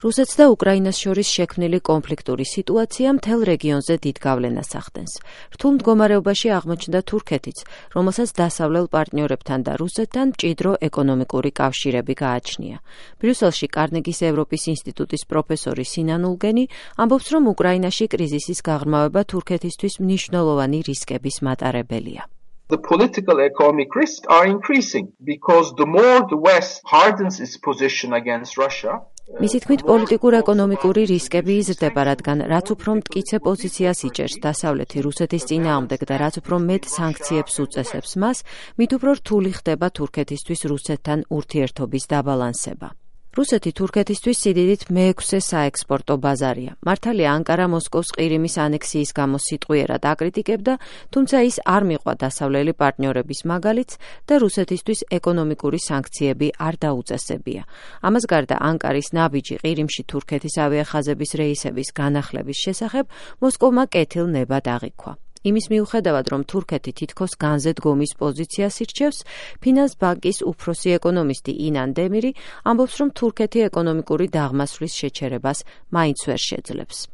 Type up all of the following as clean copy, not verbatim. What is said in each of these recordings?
რუსეთს და უკრაინას შორის შექმნილი კონფლიქტური სიტუაცია მთელ რეგიონზე დიდ გავლენას ახდენს. რთულ მდგომარეობაში აღმოჩნდა თურქეთიც, რომელსაც დასავლელ პარტნიორებთან და რუსეთთან მჭიდრო ეკონომიკური კავშირები გააჩნია. ბრიუსელში კარნეგის ევროპის ინსტიტუტის პროფესორი სინან ულგენი ამბობს, რომ უკრაინაში კრიზისის გაღრმავება თურქეთისთვის მნიშვნელოვანი რისკების მატარებელია. The political economic risks are increasing because the more the West hardens its position against Russia, მისი თქმით, პოლიტიკურ-ეკონომიკური რისკები იზრდება, რადგან რაც უფრო მტკიცე პოზიციას იჭერს დასავლეთი რუსეთის წინააღმდეგ და რაც უფრო მეტ სანქციებს უწესებს მას, მით უფრო რთული ხდება თურქეთისთვის რუსეთთან ურთიერთობის დაბალანსება. რუსეთი თურქეთისთვის სიდიდით მე-6 საექსპორტო ბაზარია. მართალია, ანკარა მოსკოვს ყირიმის ანექსიის გამო სიტყვიერად აკრიტიკებდა, თუმცა ის არ მიყვა დასავლელი პარტნიორების მაგალითს და რუსეთისთვის ეკონომიკური სანქციები არ დაუწესებია. ამას გარდა, ანკარის ნაბიჯი ყირიმში თურქეთის ავიახაზების რეისების განახლების შესახებ მოსკოვმა კეთილნებად აღიქვა. იმის მიუხედავად, რომ თურქეთი თითქოს განზე დგომის პოზიციას ირჩევს, ფინანს ბანკის უფროსი ეკონომისტი ინან დემირი ამბობს, რომ თურქეთი ეკონომიკური დაღმასვლის შეჩერებას მაინც ვერ შეძლებს.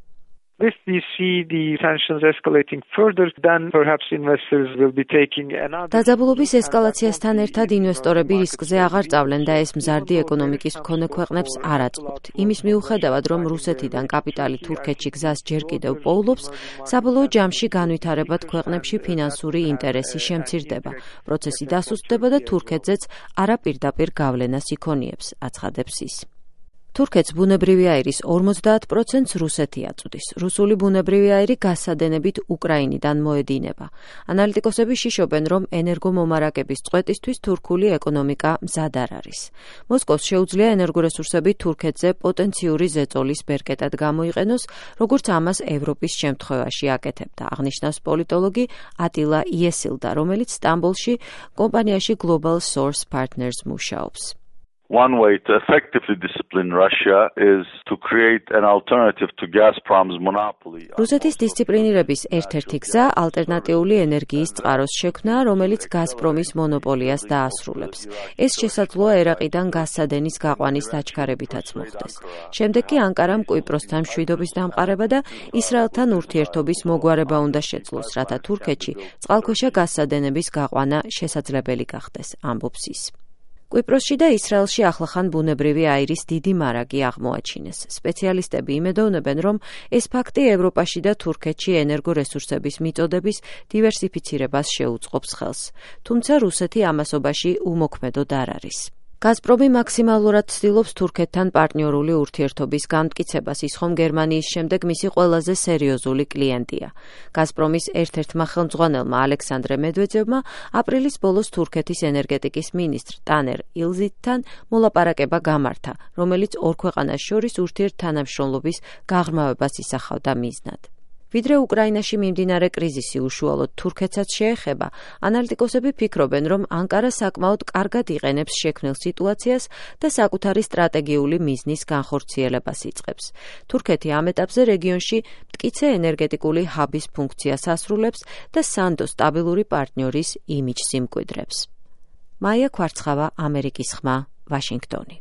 If we see the sanctions escalating further, then perhaps investors will be taking another. დაძაბულობის ესკალაციასთან ერთად ინვესტორები რისკზე აღარ წავლენ და ეს მზარდი ეკონომიკის მქონე ქვეყნებს არ აწყობთ. იმის მიუხედავად, რომ რუსეთიდან კაპიტალი თურქეთში გზას ჯერ კიდევ პოულობს, საბოლოო ჯამში განვითარებად ქვეყნებში ფინანსური ინტერესი შემცირდება. პროცესი დასუსტდება და თურქეთზეც არაპირდაპირ გავლენას იქონიებს, აცხადებს ის. თურქეთს ბუნებრივი აირის 50%-ს რუსეთი აწვდის. რუსული ბუნებრივი აირი გასადენებით უკრაინიდან მოედინება. ანალიტიკოსები შიშობენ, რომ ენერგომომარაგების წყვეტისთვის თურქული ეკონომიკა მზად არ არის. მოსკოვს შეუძლია ენერგორესურსები თურქეთზე პოტენციური ზეწოლის ბერკეტად გამოიყენოს, როგორც ამას ევროპის შემთხვევაში აკეთებდა, აღნიშნავს პოლიტოლოგი ატილა იესილდა, რომელიც სტამბოლში კომპანიაში Global Source Partners მუშაობს. One way to effectively discipline Russia is to create an alternative to Gazprom's monopoly. რუსეთის დისციპლინირების ერთ-ერთი გზა ალტერნატიული ენერგიის წყაროს შექმნა, რომელიც გაზპრომის მონოპოლიას დაასრულებს. ეს შესაძლოა ერაყიდან გაზსადენის გაყვანის დაჩქარებითაც მოხდეს. შემდეგ კი ანკარამ კვიპროსთან მშვიდობის დამყარება და ისრაელთან ურთიერთობის მოგვარება უნდა შეძლოს, რათა თურქეთში წყალქვეშა გაზსადენების გაყვანა შესაძლებელი გახდეს, ამბობს ის. კვიპროსში და ისრაელში ახლახან ბუნებრივი აირის დიდი მარაგი აღმოაჩინეს. სპეციალისტები იმედოვნებენ, რომ ეს ფაქტი ევროპაში და თურქეთში ენერგორესურსების მიწოდების დივერსიფიცირებას შეუწყობს ხელს. თუმცა რუსეთი ამასობაში უმოქმედოდ არ არის. გაზპრომი მაქსიმალურად ცდილობს თურქეთთან პარტნიორული ურთიერთობის განმტკიცებას, ის ხომ გერმანიის შემდეგ მისი ყველაზე სერიოზული კლიენტია. გაზპრომის ერთ-ერთმა ხელმძღვანელმა ალექსანდრე მედვედევმა აპრილის ბოლოს თურქეთის ენერგეტიკის მინისტრ ტანერ ილზითთან მოლაპარაკება გამართა, რომელიც ორ ქვეყანას შორის ურთიერთთანამშრომლობის გაღრმავებას ისახავდა მიზნად. ვიდრე უკრაინაში მიმდინარე კრიზისი უშუალოდ თურქეთსაც შეეხება, ანალიტიკოსები ფიქრობენ, რომ ანკარა საკმაოდ კარგად იყენებს შექმნილ სიტუაციას და საკუთარი სტრატეგიული მიზნის განხორციელებას იწყებს. თურქეთი ამ ეტაპზე რეგიონში მტკიცე ენერგეტიკული ჰაბის ფუნქციას ასრულებს და სანდო სტაბილური პარტნიორის იმიჯს იმკვიდრებს. მაია ქვარცხავა, ამერიკის ხმა, ვაშინგტონი.